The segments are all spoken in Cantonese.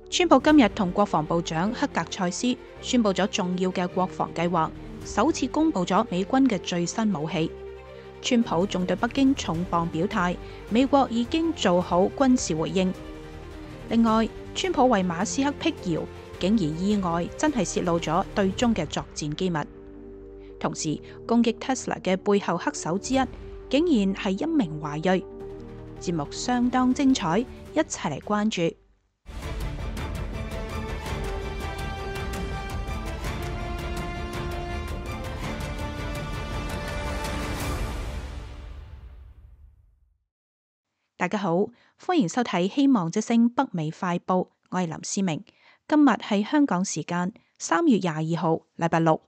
川普今日同國防部長克格塞斯宣布咗重要嘅國防計劃，首次公布咗美軍嘅最新武器。川普仲對北京重磅表態，美國已經做好軍事回應。另外，川普為馬斯克闢謠，竟然意外真係洩露咗對中嘅作戰機密。同時，攻擊 Tesla 嘅背後黑手之一，竟然係一名華裔。節目相當精彩，一齊嚟關注。大家好，歡迎收睇《希望之聲北美快報》，我係林思明。今日係香港時間3月22號，禮拜六。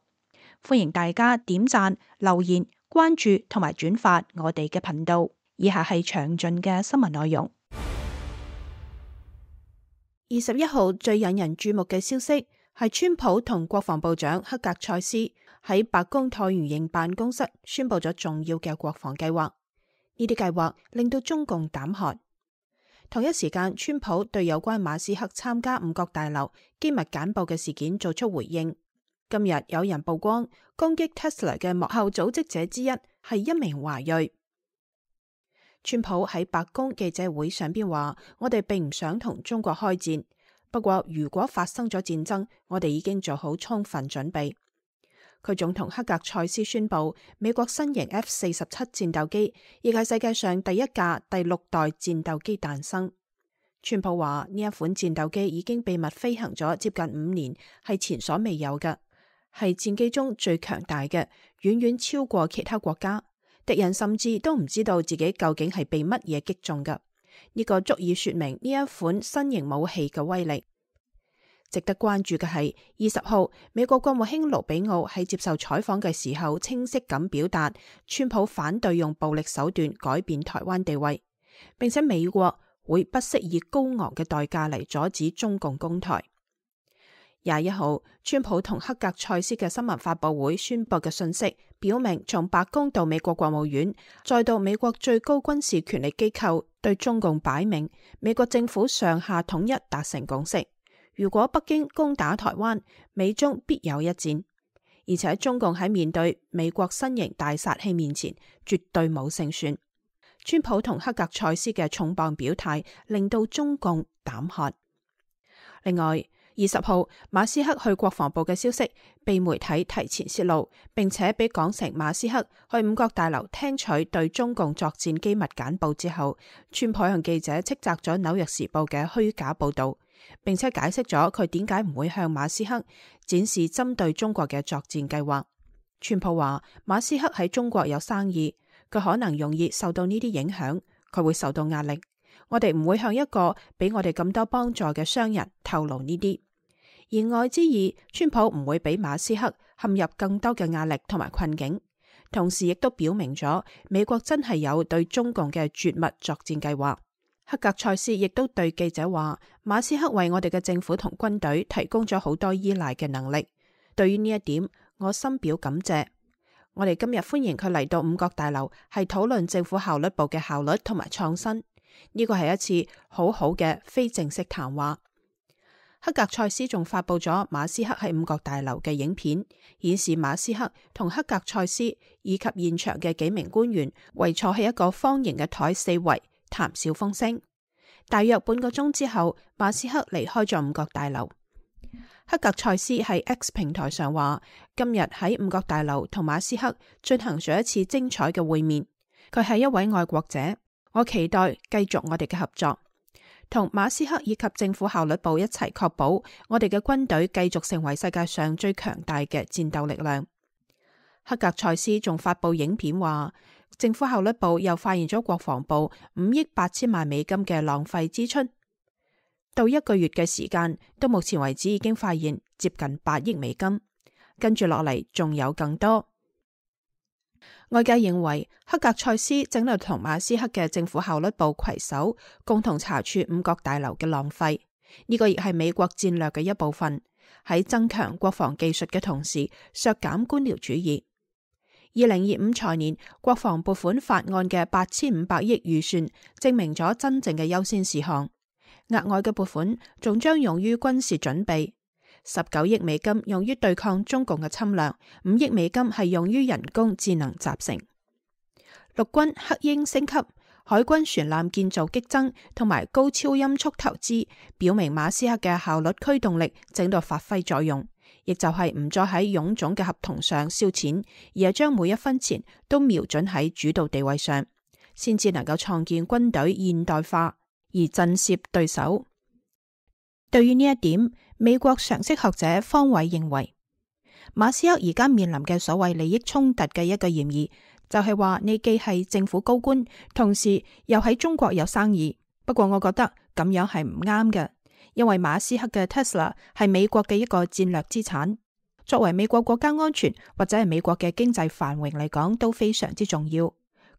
歡迎大家點讚、留言、關注同埋轉發我哋嘅頻道。以下係詳盡嘅新聞內容。21號最引人注目嘅消息係川普同國防部長克格塞斯喺白宮橢圓形辦公室宣布咗重要嘅國防計劃。呢啲計劃令到中共膽寒。同一時間，川普對有關馬斯克參加五角大樓機密簡報嘅事件做出回應。今日有人曝光攻擊 Tesla 嘅幕後組織者之一係一名華裔。川普喺白宮記者會上邊話：我哋並唔想同中國開戰，不過如果發生咗戰爭，我哋已經做好充分準備。佢仲同克格塞斯宣布，美國新型 F-47戰鬥機亦係世界上第一架第6代戰鬥機誕生。川普話呢一款戰鬥機已經秘密飛行咗接近5年，係前所未有嘅，係戰機中最強大嘅，遠遠超過其他國家。敵人甚至都唔知道自己究竟係被乜嘢擊中嘅。呢個足以說明呢一款新型武器嘅威力。值得關注嘅係20號，美國國務卿盧比奧喺接受採訪嘅時候，清晰咁表達川普反對用暴力手段改變台灣地位，並且美國會不惜以高昂嘅代價嚟阻止中共攻台。21號，川普同克格塞斯嘅新聞發佈會宣佈嘅信息，表明從白宮到美國國務院，再到美國最高軍事權力機構，對中共擺明美國政府上下統一達成共識。如果北京攻打台灣，美中必有一戰，而且中共喺面對美國新型大殺器面前，絕對冇勝算。川普同克格塞斯嘅重磅表態，令到中共膽寒。另外，20號馬斯克去國防部嘅消息被媒體提前洩露，並且被講成馬斯克去五角大樓聽取對中共作戰機密簡報之後，川普向記者斥責咗紐約時報嘅虛假報道，並且解釋咗佢點解唔會向馬斯克展示針對中國嘅作戰計劃。川普話馬斯克喺中國有生意，佢可能容易受到呢啲影響，佢會受到壓力。我哋唔會向一個俾我哋咁多幫助嘅商人透露呢啲。言外之意，川普唔會俾馬斯克陷入更多嘅壓力同埋困境，同時亦都表明咗美國真係有對中共嘅絕密作戰計劃。克格塞斯亦都對記者話，馬斯克為我哋嘅政府同軍隊提供咗好多依賴嘅能力，對於呢一點我深表感謝。我哋今日歡迎佢嚟到五角大樓，係討論政府效率部嘅效率同埋創新。呢個係一次好好嘅非正式談話。克格塞斯仲發佈咗馬斯克喺五角大樓嘅影片，顯示馬斯克同克格塞斯以及現場嘅幾名官員圍坐喺一個方形嘅台四圍談笑風生。大約半個鐘之後，馬斯克離開咗五角大樓。克格塞斯喺 X 平台上話，今日喺五角大樓同馬斯克進行咗一次精彩嘅會面。佢係一位愛國者，我期待繼續我哋嘅合作。同馬斯克以及政府效率部一齊確保我哋嘅軍隊繼續成為世界上最強大嘅戰鬥力量。克格塞斯仲發佈影片話，政府效率部又發現咗國防部5億8千萬美金嘅浪費支出，到1個月嘅時間，到目前為止已經發現接近8億美金，跟住落嚟仲有更多。外界認為克格塞斯正喺度同馬斯克嘅政府效率部攜手，共同查處五角大樓嘅浪費。呢個亦係美國戰略嘅一部分，喺增強國防技術嘅同時，削減官僚主義。2025財年國防撥款法案嘅8500億預算，證明咗真正嘅優先事項。額外嘅撥款仲將用於軍事準備，19億美金用於對抗中共嘅侵略，5億美金係用於人工智能集成。陸軍黑鷹升級，海軍船艦建造激增，同埋高超音速投資，表明馬斯克嘅效率驅動力正在發揮作用，亦就係唔再喺臃腫嘅合同上燒錢，而係將每一分錢都瞄準喺主導地位上，先至能夠創建軍隊現代化而震懾對手。對於呢一點，美國常識學者方偉認為，馬斯克而家面臨嘅所謂利益衝突嘅一個嫌疑，就係話你既係政府高官，同時又喺中國有生意。不過我覺得咁樣係唔啱嘅，因為馬斯克嘅 Tesla 係美國嘅一個戰略資產，作為美國國家安全或者係美國嘅經濟繁榮嚟講都非常之重要。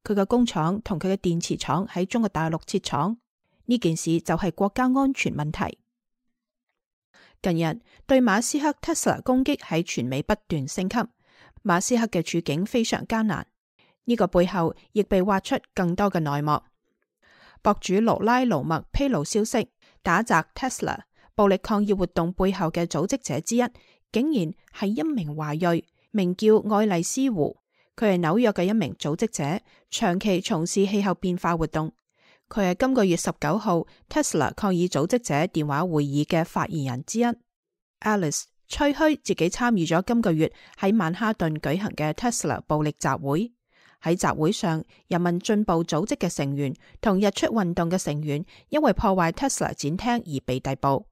佢嘅工廠同佢嘅電池廠喺中國大陸設廠，呢件事就係國家安全問題。近日對馬斯克 Tesla 攻擊喺全美不斷升級，馬斯克嘅處境非常艱難。呢個背後亦被挖出更多嘅內幕。博主勞拉盧默披露消息，打砸 Tesla 暴力抗議活動背後嘅組織者之一，竟然係一名華裔，名叫愛麗絲胡。佢係紐約嘅一名組織者，長期從事氣候變化活動。佢係今個月19號 Tesla 抗議組織者電話會議嘅發言人之一。Alice 吹噓自己參與咗今個月喺曼哈頓舉行嘅 Tesla 暴力集會。喺集會上，人民進步組織嘅成員同日出運動嘅成員因為破壞 Tesla 展廳而被逮捕。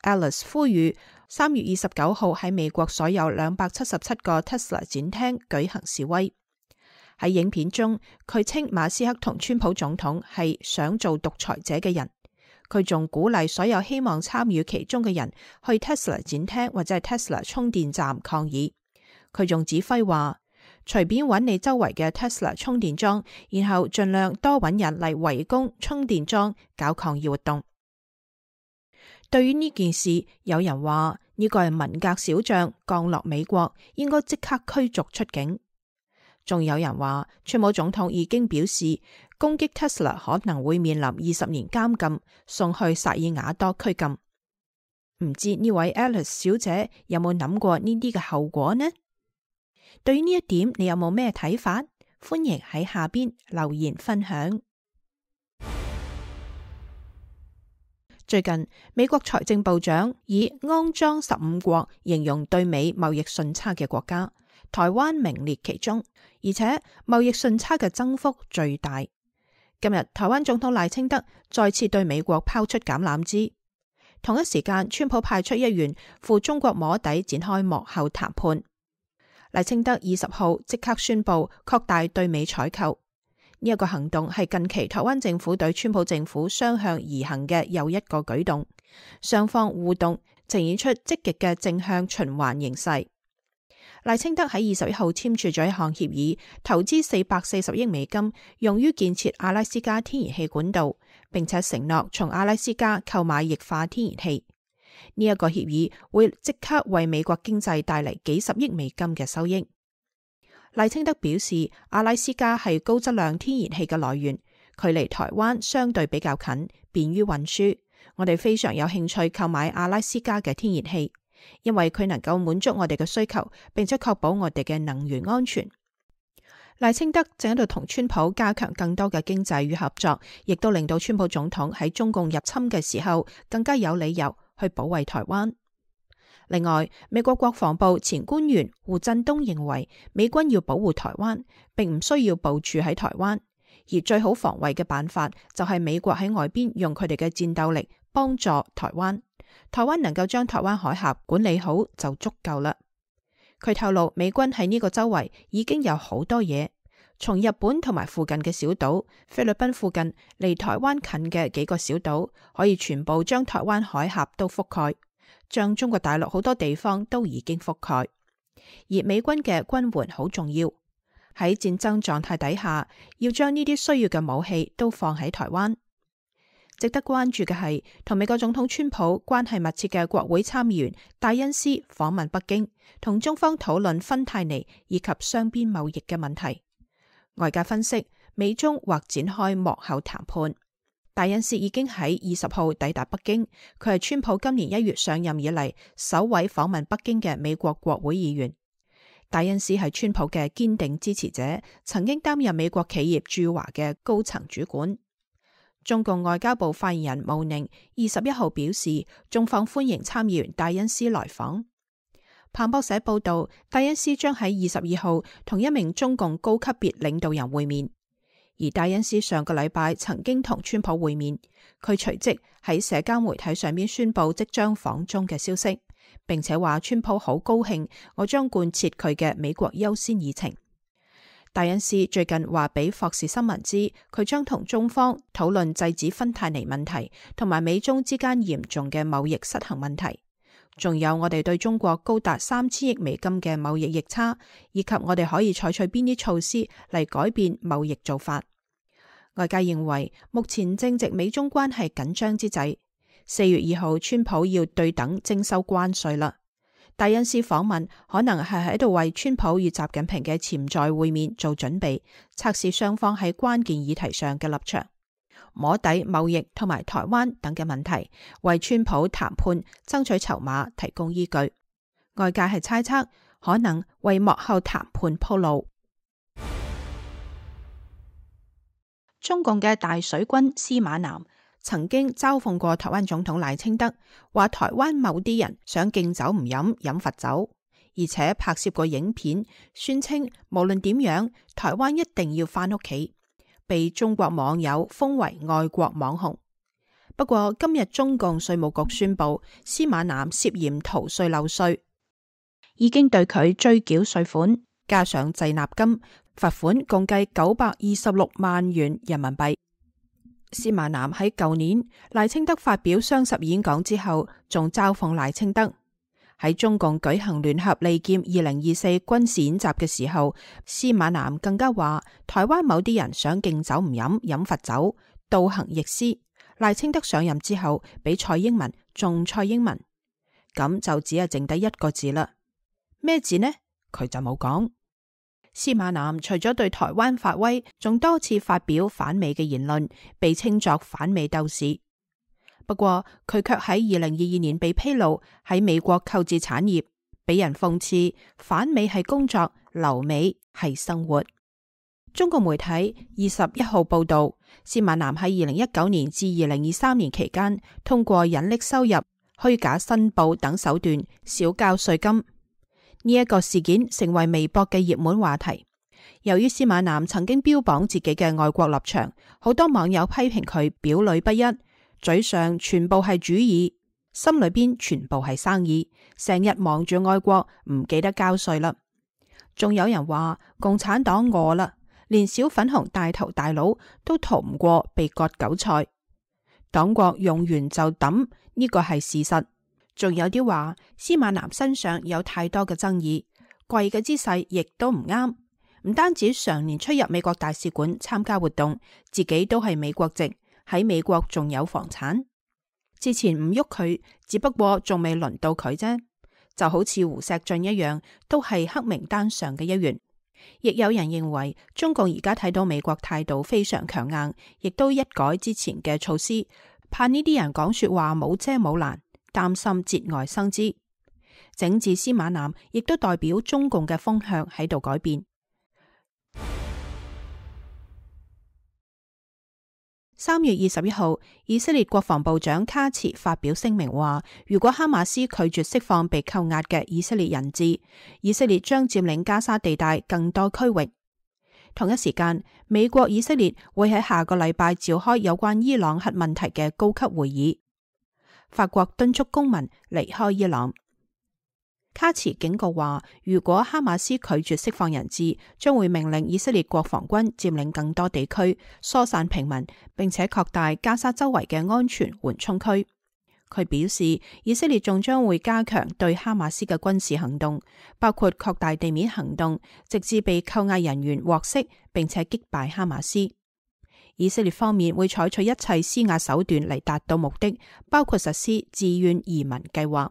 Alice 呼籲3月29號喺美國所有277個 Tesla 展廳舉行示威。喺影片中，佢稱馬斯克同川普總統係想做獨裁者嘅人。佢仲鼓勵所有希望參與其中嘅人去 Tesla 展廳或者係 Tesla 充電站抗議。佢仲指揮話，隨便揾你周圍嘅 Tesla 充電樁，然後盡量多揾人嚟圍攻充電樁，搞抗議活動。對於呢件事，有人話呢個係文革小將降落美國，應該即刻驅逐出境。仲有人話，川普總統已經表示，攻擊 Tesla 可能會面臨20年監禁，送去薩爾瓦多拘禁。唔知呢位 Alice 小姐有冇諗過呢啲嘅後果呢？對於呢一點，你有冇咩睇法？歡迎喺下邊留言分享。最近，美國財政部長以骯髒15國形容對美貿易順差嘅國家，台灣名列其中，而且貿易順差嘅增幅最大。今日，台灣總統賴清德再次對美國拋出橄欖枝。同一時間，川普派出一員赴中國摸底，展開幕後談判。賴清德20號即刻宣布擴大對美採購，呢一個行動係近期台灣政府對川普政府雙向而行嘅又一個舉動，雙方互動呈現出積極嘅正向循環形勢。賴清德喺21號簽署咗一項協議，投資440億美金，用於建設阿拉斯加天然氣管道，並且承諾從阿拉斯加購買液化天然氣。呢一個協議會即刻為美國經濟帶嚟幾十億美金嘅收益。賴清德表示，阿拉斯加係高質量天然氣嘅來源，距離台灣相對比較近，便於運輸。我哋非常有興趣購買阿拉斯加嘅天然氣，因為佢能夠滿足我哋嘅需求，並且確保我哋嘅能源安全。賴清德正喺度同川普加強更多嘅經濟與合作，亦都令到川普總統喺中共入侵嘅時候更加有理由去保衛台灣。另外，美國國防部前官員胡振東認為，美軍要保護台灣，並唔需要部署喺台灣，而最好防衛嘅辦法就係美國喺外邊用佢哋嘅戰鬥力幫助台灣，台灣能夠將台灣海峽管理好就足夠啦。佢透露，美軍喺呢個周圍已經有好多嘢，從日本同埋附近嘅小島、菲律賓附近離台灣近嘅幾個小島，可以全部將台灣海峽都覆蓋，將中國大陸好多地方都已經覆蓋。而美軍嘅軍援好重要，喺戰爭狀態底下，要將呢啲需要嘅武器都放喺台灣。值得關注嘅係，同美國總統川普關係密切嘅國會參議員戴恩斯訪問北京，同中方討論芬太尼以及雙邊貿易嘅問題。外界分析，美中或展開幕後談判。戴恩斯已經喺20號抵達北京，佢係川普今年1月上任以嚟首位訪問北京嘅美國國會議員。戴恩斯係川普嘅堅定支持者，曾經擔任美國企業駐華嘅高層主管。中共外交部發言人毛寧21號表示，中方歡迎參議員戴恩斯來訪。彭博社報道，戴恩斯將喺22號同一名中共高級別領導人會面。而戴恩斯上個禮拜曾經同川普會面，佢隨即喺社交媒體上面宣布即將訪中嘅消息，並且話川普好高興，我將貫徹佢嘅美國優先議程。戴恩斯最近話俾霍士新聞知，佢將同中方討論制止芬太尼問題，同埋美中之間嚴重嘅貿易失衡問題，仲有我哋對中國高達3000億美金嘅貿易逆差，以及我哋可以採取邊啲措施嚟改變貿易做法。外界認為，目前正值美中關係緊張之際，4月2號川普要對等徵收關稅啦。戴恩斯訪問可能係喺度為川普與習近平嘅潛在會面做準備，測試雙方喺關鍵議題上嘅立場，摸底貿易同埋台灣等嘅問題，為川普談判爭取籌碼提供依據。外界係猜測，可能為幕後談判鋪路。中共嘅大水軍司馬南曾經嘲諷過台灣總統賴清德，話台灣某啲人想敬酒唔飲，飲罰酒，而且拍攝過影片，宣稱無論點樣，台灣一定要返屋企，被中國網友封為愛國網紅。不過今日中共稅務局宣布，司馬南涉嫌逃稅漏稅，已經對佢追繳稅款，加上滯納金，罰款共計926萬元人民幣。司馬南喺舊年賴清德發表雙十演講之後，仲嘲諷賴清德。喺中共舉行聯合利劍2024軍事演習嘅時候，司馬南更加話台灣某啲人想敬酒唔飲，飲罰酒，倒行逆施。賴清德上任之後，比蔡英文仲蔡英文，咁就只係剩低一個字啦。咩字呢？佢就冇講。司馬南除咗對台灣發威，仲多次發表反美嘅言論，被稱作反美鬥士。不過佢卻喺2022年被披露喺美國購置產業，俾人諷刺反美係工作，留美係生活。中國媒體21號報道，司馬南喺2019年至2023年期間，通過隱匿收入、虛假申報等手段少交稅金。呢一個事件成為微博嘅熱門話題。由於司馬南曾經標榜自己嘅愛國立場，好多網友批評佢表裏不一，嘴上全部係主意，心裏邊全部係生意，成日忙住愛國，唔記得交稅啦。仲有人話共產黨餓啦，連小粉紅大頭大佬都逃唔過被割韭菜，黨國用完就抌，呢個係事實。仲有啲話司馬南身上有太多嘅爭議，跪嘅姿勢亦都唔啱，唔單止常年出入美國大使館參加活動，自己都係美國籍，喺美國仲有房產。之前唔喐佢，只不過仲未輪到佢啫，就好似胡錫進一樣，都係黑名單上嘅一員。亦有人認為中共而家睇到美國態度非常強硬，亦都一改之前嘅措施，怕呢啲人講說話冇遮冇攔，擔心節外生枝。整治司馬南亦都代表中共嘅風向喺度改變。3月21號，以色列國防部長卡茨發表聲明話，如果哈馬斯拒絕釋放被扣押嘅以色列人質，以色列將佔領加沙地帶更多區域。同一時間，美國、以色列會喺下個禮拜召開有關伊朗核問題嘅高級會議。法國敦促公民離開伊朗。卡茨警告話，如果哈馬斯拒絕釋放人質，將會命令以色列國防軍佔領更多地區，疏散平民，並且擴大加沙周圍嘅安全緩衝區。佢表示，以色列仲將會加強對哈馬斯嘅軍事行動，包括擴大地面行動，直至被扣押人員獲釋，並且擊敗哈馬斯。以色列方面會採取一切施壓手段嚟達到目的，包括實施自願移民計劃。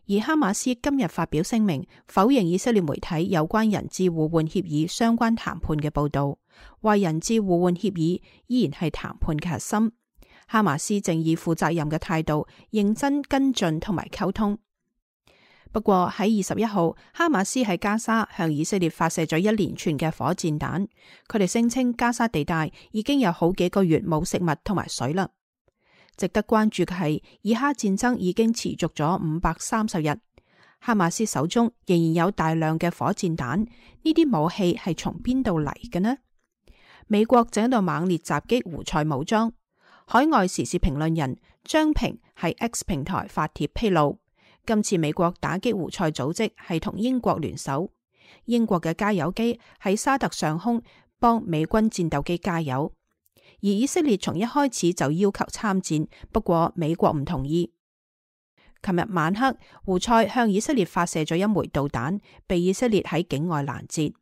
而哈馬斯今日發表聲明，否認以色列媒體有關人質互換協議相關談判嘅報導，話人質互換協議依然係談判嘅核心。哈馬斯正以負責任嘅態度認真跟進同埋溝通。不過喺21號，哈馬斯喺加沙向以色列發射咗一連串嘅火箭彈，佢哋聲稱加沙地帶已經有好幾個月冇食物同埋水啦。值得關注嘅係，以哈戰爭已經持續咗530日，哈馬斯手中仍然有大量嘅火箭彈，呢啲武器係從邊度嚟嘅呢？美國正喺度猛烈襲擊胡塞武裝。海外時事評論人張平喺 X 平台發帖披露，今次美國打擊胡塞組織係同英國聯手，英國嘅加油機喺沙特上空幫美軍戰鬥機加油。而以色列從一開始就要求參戰，不過美國唔同意。琴日晚黑，胡塞向以色列發射咗一枚導彈，被以色列喺境外攔截。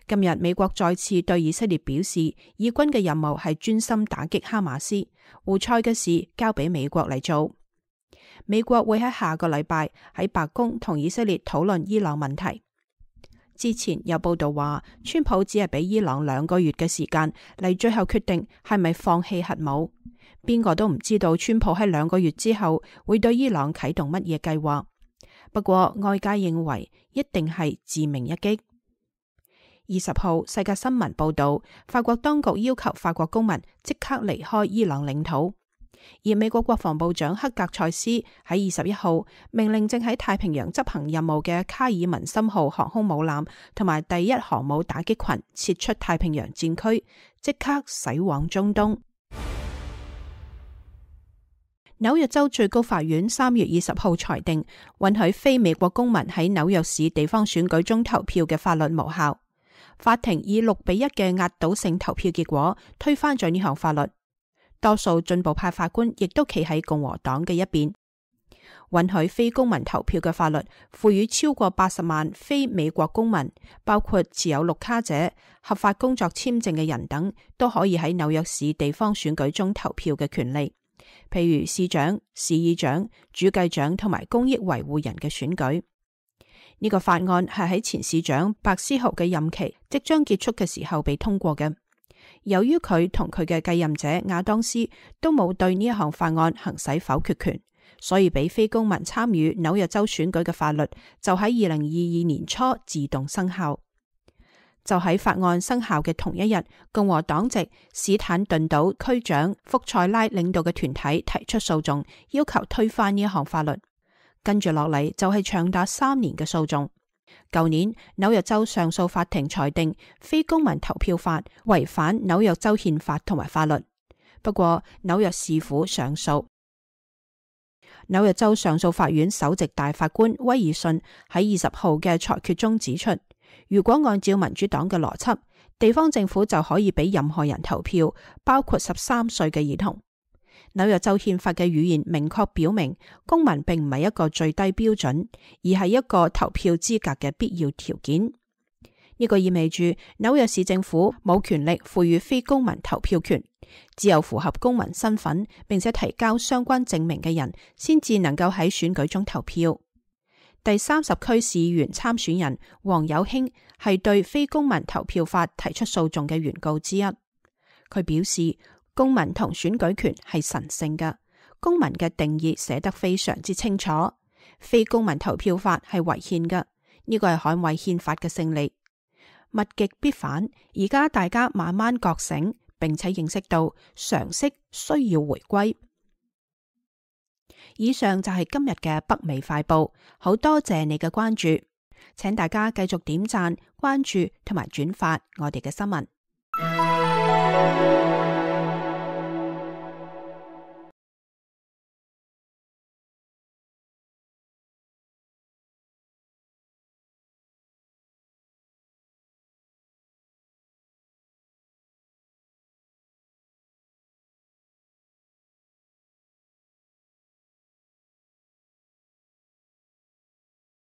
今日美國再次對以色列表示，以軍嘅任務係專心打擊哈馬斯，胡塞嘅事交俾美國嚟做。美國會喺下個禮拜喺白宮同以色列討論伊朗問題。之前有報道話，川普只係俾伊朗2個月嘅時間嚟最後決定係咪放棄核武。邊個都唔知道川普喺2個月之後會對伊朗啟動乜嘢計劃。不過外界認為一定係致命一擊。20號，世界新聞報道，法國當局要求法國公民即刻離開伊朗領土。而美國國防部長克格塞斯喺21號命令正喺太平洋執行任務嘅卡爾文森號航空母艦同埋第1航母打擊群撤出太平洋戰區，即刻駛往中東。紐約州最高法院3月20號裁定，允許非美國公民喺紐約市地方選舉中投票嘅法律無效。法庭以6-1嘅壓倒性投票結果推翻咗呢項法律。多數進步派法官亦都企喺共和黨嘅一邊。允許非公民投票嘅法律賦予超過80萬非美國公民，包括持有綠卡者、合法工作簽證嘅人等，都可以喺紐約市地方選舉中投票嘅權利，譬如市長、市議長、主計長同埋公益維護人嘅選舉。呢個法案係喺前市長白思豪嘅任期即將結束嘅時候被通過嘅。由於佢同佢嘅繼任者亞當斯都冇對呢一項法案行使否決權，所以俾非公民參與紐約州選舉嘅法律就喺2022年初自動生效。就喺法案生效嘅同一日，共和黨籍史坦頓島區長福塞拉領導嘅團體提出訴訟，要求推翻呢一項法律。跟住落嚟就係長達3年嘅訴訟。舊年紐約州上訴法庭裁定非公民投票法違反紐約州憲法同埋法律，不過紐約市府上訴。紐約州上訴法院首席大法官威爾遜喺20號嘅裁決中指出，如果按照民主黨嘅邏輯，地方政府就可以俾任何人投票，包括13歲嘅兒童。紐約州憲法嘅語言明確表明，公民並唔係一個最低標準，而係一個投票資格嘅必要條件。呢個意味住紐約市政府冇權力賦予非公民投票權，只有符合公民身份並且提交相關證明嘅人，先至能夠喺選舉中投票。第30區市議員參選人黃有興係對非公民投票法提出訴訟嘅原告之一。佢表示，公民同選舉權係神聖嘅，公民嘅定義寫得非常之清楚。非公民投票法係違憲嘅，呢個係捍衛憲法嘅勝利。物極必反，而家大家慢慢覺醒，並且認識到常識需要回歸。以上就係今日嘅北美快報，好多謝你嘅關注，請大家繼續點讚、關注同埋轉發我哋嘅新聞。